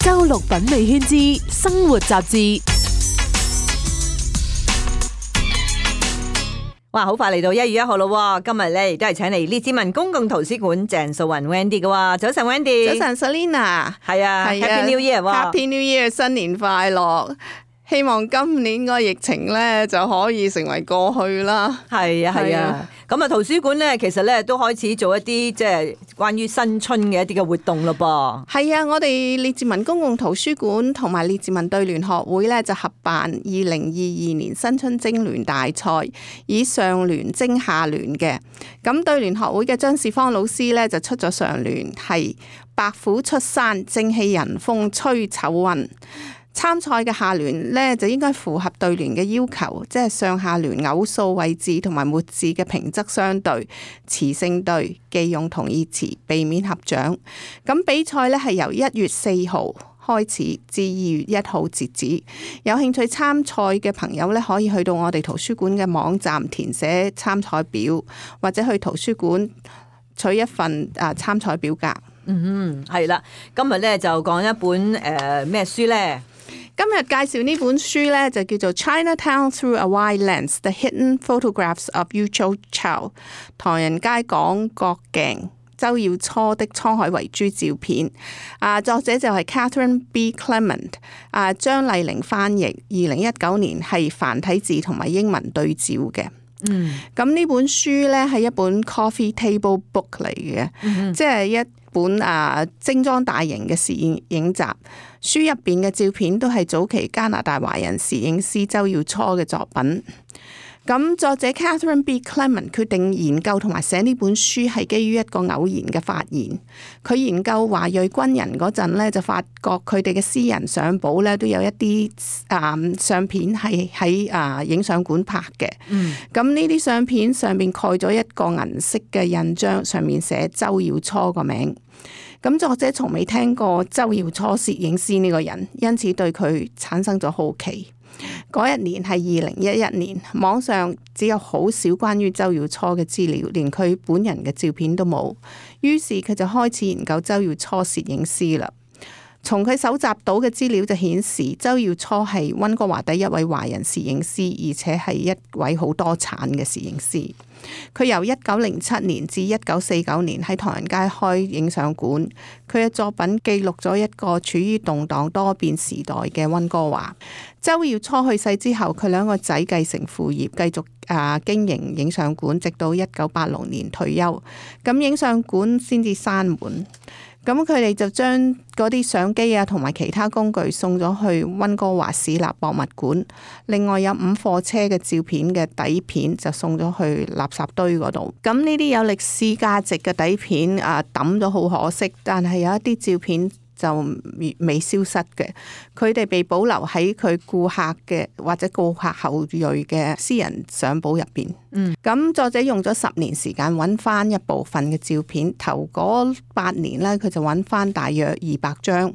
周六品味圈之生活雜誌。哇，好快嚟到1月1號咯！今日咧亦都係請嚟列治文公共圖書館鄭素雲 Wendy 嘅。早晨 Wendy， 早晨 Selina， 係啊 ，Happy New Year 喎 Happy New Year， 新年快樂！希望今年個疫情咧就可以成為過去啦。係啊，係啊。咁啊，圖書館咧其實咧都開始做一啲即係關於新春嘅一啲嘅活動咯噃。係啊，我哋列治文公共圖書館同埋列治文對聯學會咧就合辦2022年新春徵聯大賽，以上聯徵下聯嘅。咁對聯學會嘅張士芳老師咧就出咗上聯，係白虎出山，正氣人風吹丑運。參賽嘅下聯呢，就應該符合對聯嘅要求，即係上下聯偶數位置同埋末字嘅平仄相對，詞性對，忌用同義詞，避免合掌。咁比賽呢，係由1月4號開始至2月1號截止。有興趣參賽嘅朋友呢，可以去到我哋圖書館嘅網站填寫參賽表，或者去圖書館取一份參賽表格。係啦，今日呢，就講一本咩書呢？今日介紹呢本書呢，就叫做《Chinatown Through a Wide Lens: The Hidden Photographs of Yu Chou Chou》唐人街廣角鏡周耀初的滄海遺珠照片。作者就係 Catherine B. Clement， 張麗玲翻譯。2019年係繁體字同埋英文對照嘅。咁呢本書呢，係一本 coffee table book 嚟嘅，即係一本精裝大型嘅攝影集。書入邊嘅照片都係早期加拿大華人攝影師周耀初嘅作品。咁作者 Catherine B. Clement 決定研究同埋寫呢本書係基於一個偶然嘅發現。佢研究華裔軍人嗰陣呢，就發覺佢哋嘅私人相簿呢都有一啲相片係喺影相館拍嘅。咁呢啲相片上面蓋咗一個銀色嘅印章，上面寫周耀初個名。咁作者從未聽過周耀初攝影師呢個人，因此對佢產生咗好奇。嗰一年係2011年，網上只有好少關於周耀初嘅資料，連佢本人嘅照片都冇。於是佢就開始研究周耀初攝影師啦。從佢搜集到嘅資料就顯示，周耀初係溫哥華第一位華人攝影師，而且係一位好多產嘅攝影師。佢由1907年至1949年喺唐人街開影相館，佢嘅作品記錄咗一個處於動盪多變時代嘅溫哥華。周耀初去世之後，佢兩個仔繼承父業，繼續經營影相館，直到1986年退休。咁影相館先至閂門。咁佢哋就將嗰啲相機同埋其他工具送咗去溫哥華市立博物館。另外有5貨車嘅照片嘅底片就送咗去垃圾堆嗰度。咁呢啲有歷史價值嘅底片抌咗好可惜，但係有一啲照片就未消失嘅，佢哋被保留喺佢顧客嘅或者顧客後裔嘅私人相簿入邊。咁作者用咗10年時間揾翻一部分嘅照片，頭嗰8年呢，佢就揾翻大約200張。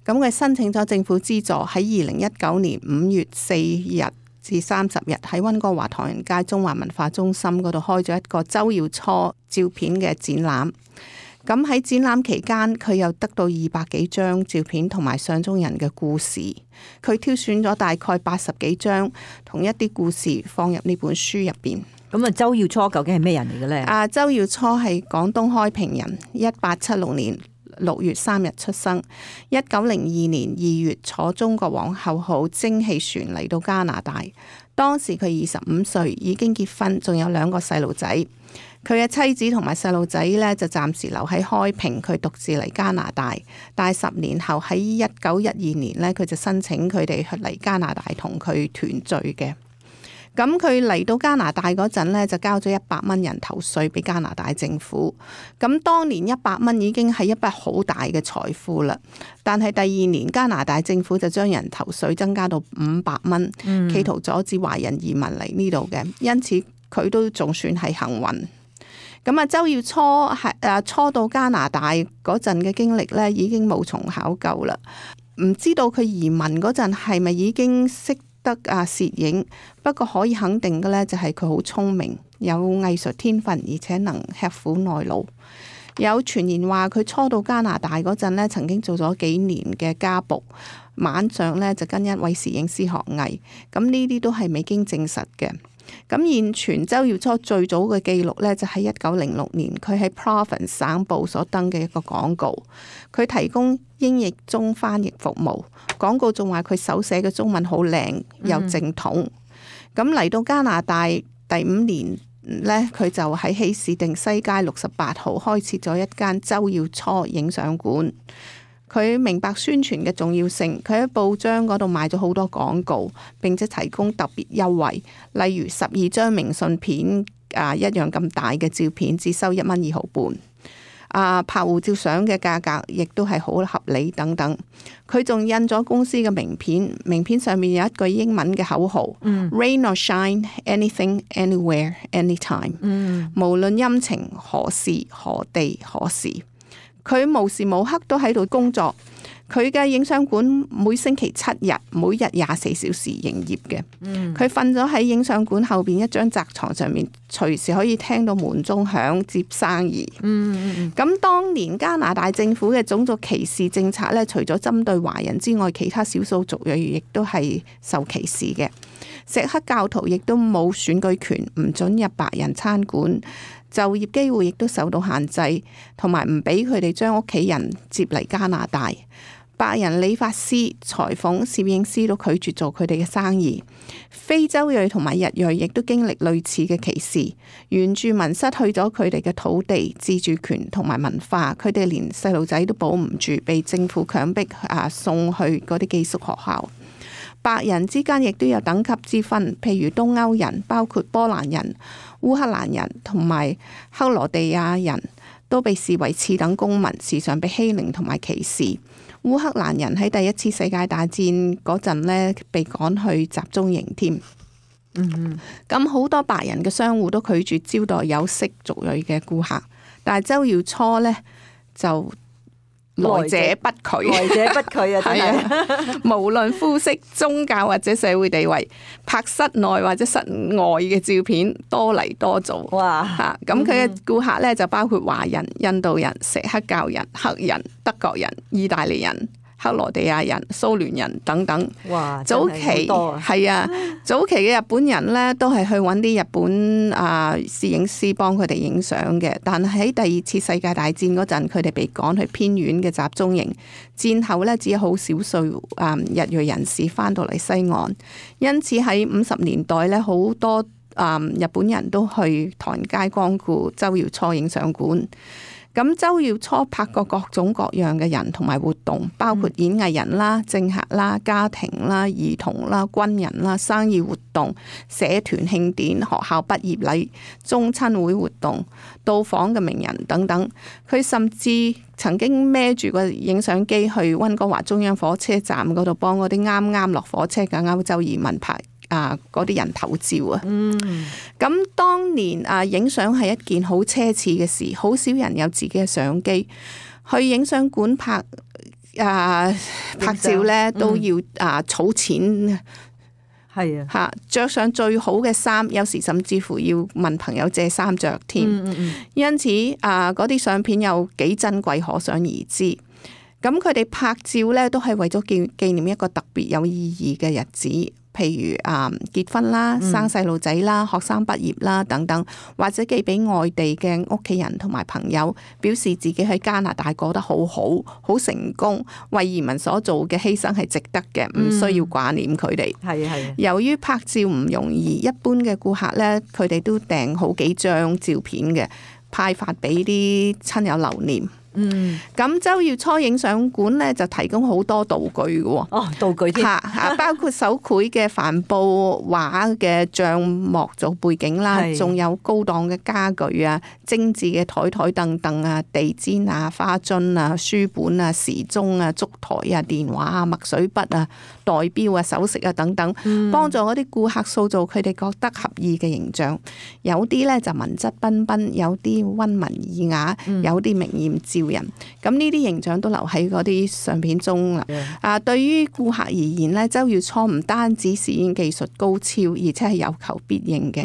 咁佢申請咗政府資助，喺2019年5月4日至30日喺溫哥華唐人街中華文化中心嗰度開咗一個周耀初照片嘅展覽。咁喺展覽期間，佢又得到200幾張照片同埋相中人嘅故事。佢挑選咗大概80幾張同一啲故事放入呢本書入邊。咁周耀初究竟係咩人嚟嘅呢？周耀初係廣東開平人，1876年6月3日出生。1902年2月坐中國皇后號蒸汽船嚟到加拿大。當時佢25歲，已經結婚，仲有2個細路仔。佢嘅妻子同埋細路仔呢，就暫時留喺開平，佢獨自嚟加拿大。但係10年後喺1912年呢，佢就申請佢哋嚟加拿大同佢團聚嘅。咁佢嚟到加拿大嗰陣呢，就交咗100蚊人頭稅俾加拿大政府。咁當年100蚊已經係一筆好大嘅財富啦。但係第2年加拿大政府就將人頭稅增加到500蚊，企圖阻止華人移民嚟呢度嘅。因此佢都仲算係幸運。咁周耀初係初到加拿大嗰陣嘅經歷呢，已經無從考究啦。唔知道佢移民嗰陣係咪已經識得攝影，不過可以肯定嘅呢，就係佢好聰明，有藝術天分，而且能吃苦耐勞。有傳言話佢初到加拿大嗰陣咧，曾經做咗幾年嘅家僕，晚上咧就跟一位攝影師學藝。咁呢啲都係未經證實嘅。咁現傳周耀初最早嘅記錄咧，就喺1906年，佢喺 Province 省報所登嘅一個廣告，佢提供英譯中翻譯服務。廣告仲話佢手寫嘅中文好靚又正統。咁嚟到加拿大第5年咧，佢就喺希士定西街68號開設咗一間周耀初影相館。佢明白宣傳嘅重要性，佢喺報章嗰度賣咗好多廣告，並且提供特別優惠，例如12張明信片一樣咁大嘅照片，只收1蚊2毫半。拍護照相嘅價格亦都係好合理等等。佢仲印咗公司嘅名片，名片上面有一句英文嘅口號：Rain or shine, anything, anywhere, anytime。無論陰晴何時何地何時。佢無時無刻都喺度工作，佢嘅影相館每星期7日，每日24小時營業嘅。佢瞓咗喺影相館後邊一張窄床上面，隨時可以聽到門鐘響接生意。咁當年加拿大政府嘅種族歧視政策咧，除咗針對華人之外，其他少數族裔亦都係受歧視嘅。錫克教徒亦都冇選舉權，唔准入白人餐館。就業機會亦都受到限制，同埋唔俾佢哋將屋企人接嚟加拿大。白人理髮師、裁縫、攝影師都拒絕做佢哋嘅生意。非洲裔同埋日裔亦都經歷類似嘅歧視。原住民失去咗佢哋嘅土地、自主權同埋文化，佢哋連細路仔都保唔住，被政府強迫送去嗰啲寄宿學校。白人之間亦都有等級之分，譬如東歐人，包括波蘭人、烏克蘭人同埋克羅地亞人都被視為次等公民，時常被欺凌同埋歧視。烏克蘭人喺第一次世界大戰嗰陣呢，被趕去集中營添。咁好多白人嘅商戶都拒絕招待有色族裔嘅顧客，但係周耀初呢，就來者不拒，來者不拒啊！真係，無論膚色、宗教或者社會地位，拍室內或者室外嘅照片多嚟多做。哇！咁佢嘅顧客咧就包括華人、印度人、錫克教人、黑人、德國人、意大利人、克羅地亞人、蘇聯人等等。哇！早期係啊，早期嘅日本人咧都係去揾啲日本攝影師幫佢哋影相嘅，但係喺第2次世界大戰嗰陣，佢哋被趕去偏遠嘅集中營。戰後咧，只有好少數日裔人士翻到嚟西岸，因此喺50年代咧，好多日本人都去唐人街光顧周耀初影相館。咁周耀初拍過各種各樣嘅人同埋活動，包括演藝人啦、政客啦、家庭啦、兒童啦、軍人啦、生意活動、社團慶典、學校畢業禮、宗親會活動、到訪嘅名人等等。佢甚至曾經孭住個影相機去溫哥華中央火車站嗰度幫嗰啲啱啱落火車嘅歐洲移民拍嗰啲人頭照啊。咁當年影相係一件好奢侈嘅事，好少人有自己嘅相機去影相館拍照咧，都要儲錢。係啊，着上最好嘅衫，有時甚至乎要問朋友借衫着添。因此嗰啲相片有幾珍貴，可想而知。咁佢哋拍照咧，都係為咗紀念一個特別有意義嘅日子，譬如結婚啦、生細路仔啦、學生畢業啦等等，或者寄俾外地嘅屋企人同埋朋友，表示自己喺加拿大過得好好，好成功，為移民所做嘅犧牲係值得嘅，唔需要掛念佢哋。係。由於拍照唔容易，一般嘅顧客咧，佢哋都訂好幾張照片嘅，派發俾啲親友留念。咁周耀初影相館咧就提供好多道具嘅。道具添，包括手繪嘅帆布畫嘅帳幕做背景啦，仲有高檔嘅家具啊、精緻嘅台凳凳啊、地氈啊、花樽啊、書本啊、時鐘啊、燭台啊、電話啊、墨水筆啊、代錶啊、首飾啊等等，幫助嗰啲顧客塑造佢哋覺得合意嘅形象。有啲咧就文質彬彬，有啲溫文爾雅，有啲明豔照人。咁呢啲形象都留喺嗰啲相片中啦。對於顧客而言咧，周耀初唔單止攝影技術高超，而且係有求必應嘅。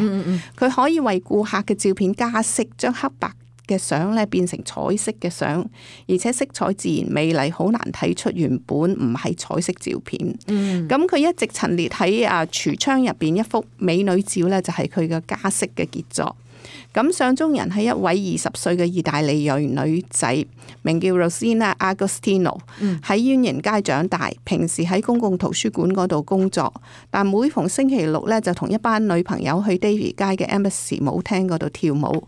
佢可以為顧客嘅照片加色，將黑白嘅相咧變成彩色嘅相，而且色彩自然美麗，好難睇出原本唔係彩色照片。咁佢一直陳列喺櫥窗入邊一幅美女照咧，就係佢嘅家式嘅傑作。咁相中人係一位20歲嘅意大利裔女仔，名叫 Rosina Agostino， 喺淵源街長大，平時喺公共圖書館嗰度工作，但每逢星期六咧就同一班女朋友去 Davie 街嘅 Embassy 舞廳嗰度跳舞。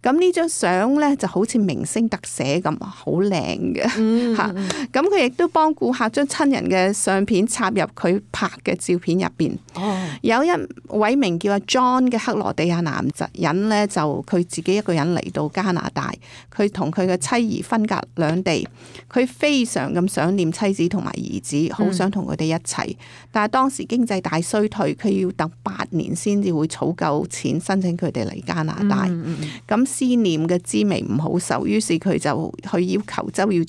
咁呢張相咧就好似明星特寫咁，好靚嘅嚇。咁佢亦都幫顧客將親人嘅相片插入佢拍嘅照片入邊。有一位名叫阿 John 嘅克羅地亞男人咧，就佢自己一個人嚟到加拿大，佢同佢嘅妻兒分隔兩地，佢非常咁想念妻子同埋兒子，好想同佢哋一齊。但係當時經濟大衰退，佢要等8年先至會儲夠錢申請佢哋嚟加拿大。咁思念嘅滋味唔好受，於是佢就去要求周耀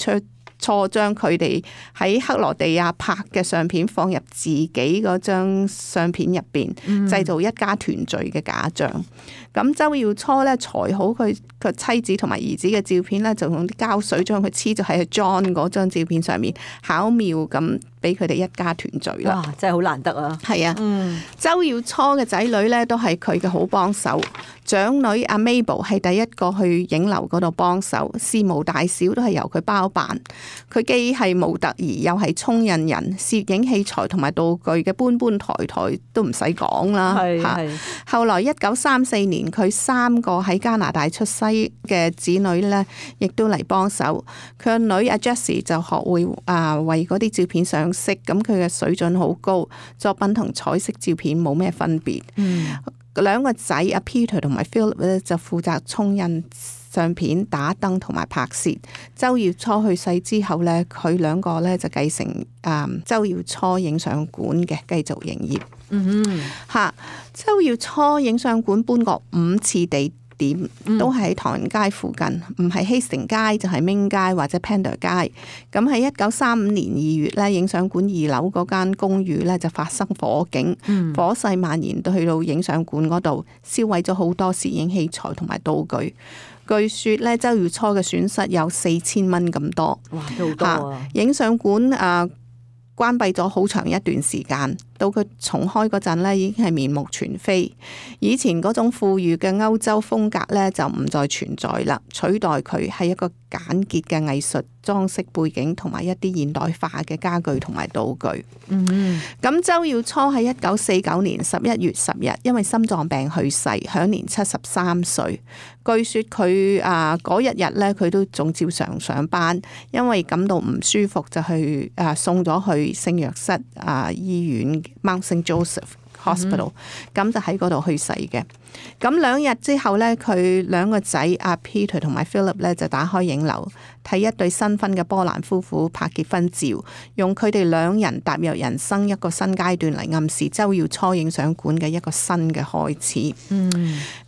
初將佢哋喺克羅地亞拍嘅相片放入自己嗰張相片入邊，製造一家團聚嘅假象。咁周耀初咧裁好佢個妻子同埋兒子嘅照片咧，就用啲膠水將佢黐咗喺 John 嗰張照片上面，巧妙咁俾佢哋一家團聚啦。哇！真係好難得啊！係啊，周耀初嘅仔女咧都係佢嘅好幫手。長女阿 Mabel 係第一個去影樓嗰度幫手，事無大小都係由佢包辦。佢既係模特兒，又係沖印人，攝影器材同埋道具嘅搬抬都唔使講啦。係。後來1934年，佢3個喺加拿大出世嘅子女咧，亦都嚟幫手。佢個女阿 Jessie 就學會為嗰啲照片上色，咁佢嘅水準好高，作品同彩色照片冇咩分別。兩個仔阿 Peter 同埋 Philip 咧就負責沖印相片、打燈同埋拍攝。周耀初去世之後咧，佢2個咧就繼承周耀初影相館嘅，繼續營業。周耀初影相館搬過5次地點，都係喺唐人街附近，唔係Hastings街就係Ming街或者 Pender 街。咁喺1935年2月咧，影相館2樓嗰間公寓咧就發生火警，火勢蔓延到去到影相館嗰度，燒毀咗好多攝影器材同埋道具。據說咧，周耀初嘅損失有4000蚊咁多。哇，都好多啊！影相館關閉咗好長一段時間，到佢重開嗰陣咧，已經係面目全非。以前嗰種富裕嘅歐洲風格咧，就唔再存在啦，取代佢係一個簡潔嘅藝術裝飾背景同埋一啲現代化嘅家具同埋道具。咁周耀初喺1949年11月10日因為心臟病去世，享年73歲。據說佢嗰一日咧，佢都仲照常上班，因為感到唔舒服就去送咗去聖約瑟醫院 Mount St. Joseph Hospital，咁就喺嗰度去世嘅。咁2日之後咧，佢2個仔阿 Peter 同埋 Philip 咧就打開影樓，睇一對新婚嘅波蘭夫婦拍結婚照，用佢哋2人踏入人生一個新階段嚟暗示周耀初影相館嘅一個新嘅開始。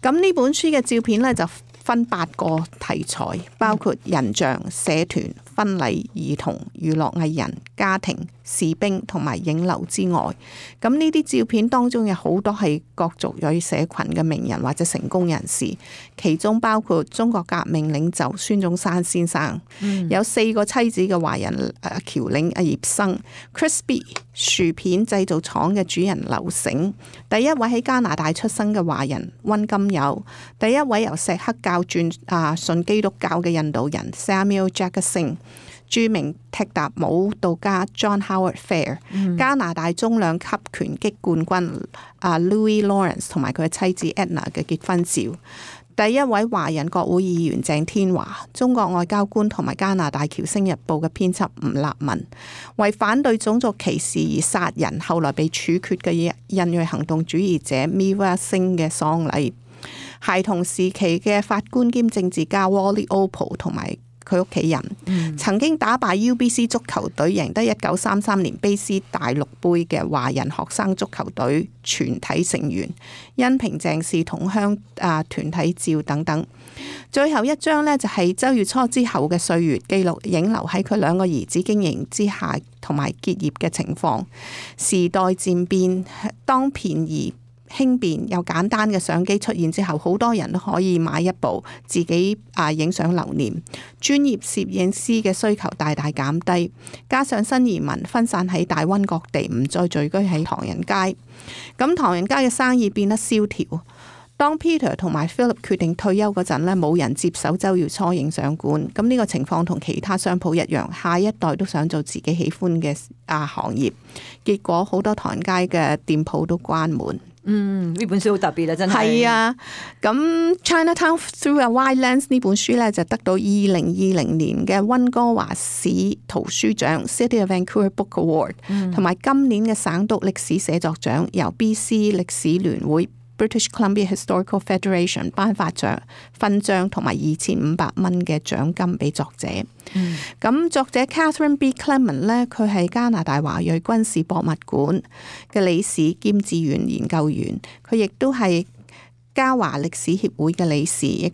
咁呢本書嘅照片咧就分8個題材，包括人像、社團、婚禮、兒童、娛樂藝人、家庭、士兵同埋影樓之外。咁呢啲照片當中有好多係各族裔社群嘅名人或者成功人士，其中包括中國革命領袖孫中山先生，有4個妻子嘅華人僑領阿葉生 ，Crispy 薯片製造廠嘅主人劉醒，第一位喺加拿大出生嘅華人溫金友，第一位由錫克教轉信基督教嘅印度人 Samuel Jackson， 著名踢踏舞蹈家 John Howard Fair，加拿大中量級拳擊冠軍Louis Lawrence 同埋佢嘅妻子 Edna 嘅結婚照，第一位華人國會議員鄭天華，中國外交官同埋加拿大僑星日報嘅編輯吳立文，為反對種族歧視而殺人後來被處決嘅印裔行動主義者 Miwa Singh 嘅喪禮，孩童時期嘅法官兼政治家 Wally Opal 同埋佢屋企人，曾經打敗 UBC 足球隊贏得1933年卑詩大陸杯嘅華人學生足球隊全體成員，恩平鄭氏同鄉團體照等等。最後一張呢，就係周耀初之後嘅歲月，記錄影樓喺佢2個兒子經營之下同埋結業嘅情況。時代漸變，當便宜輕便又簡單嘅相機出現之後，好多人都可以買一部自己影相留念。專業攝影師嘅需求大大減低，加上新移民分散喺大溫各地，唔再聚居喺唐人街，咁唐人街嘅生意變得蕭條。當 Peter 同埋 Philip 決定退休嗰陣呢，冇人接手周耀初影相館。咁呢個情況同其他商鋪一樣，下一代都想做自己喜歡嘅行業，結果好多唐人街嘅店鋪都關門。呢本書好特別啊，真係。係啊，咁 Chinatown Through a Wide Lens 呢本書呢，就得到2020年嘅溫哥華市圖書獎 City of Vancouver Book Award，同埋今年嘅省督歷史寫作獎，由 BC 歷史聯會British Columbia Historical Federation 頒發勳章同埋2500蚊嘅獎金俾作者。咁作者 Catherine B. Clement 咧，佢係加拿大華裔軍事博物館嘅理事兼志願研究員，佢亦都係嘉華歷史協會嘅理事，亦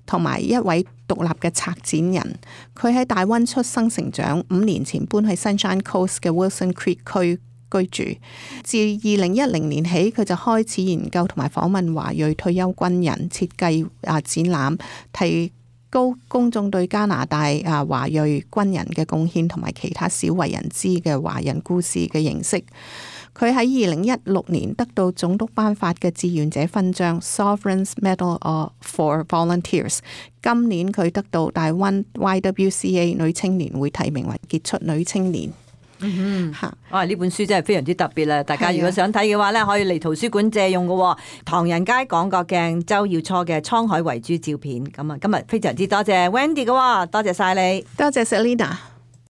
同埋一位獨立嘅策展人。佢喺大溫出生成長，5年前搬去 Sunshine Coast 嘅 Wilson Creek 區居住。自2010年起，佢就開始研究同埋訪問華裔退休軍人，設計展覽，提高公眾對加拿大華裔軍人嘅貢獻同埋其他少為人知嘅華人故事嘅認識。佢喺2016年得到總督頒發嘅志願者勳章 Sovereign's Medal for Volunteers。今年佢得到大溫 YWCA 女青年會提名為傑出女青年。哇！呢本書真係非常之特別啦！大家如果想睇嘅話咧，可以嚟圖書館借用嘅。唐人街廣角鏡周耀初嘅滄海遺珠照片。咁啊，今日非常之多謝 Wendy 嘅，多謝晒你，多謝 Selina。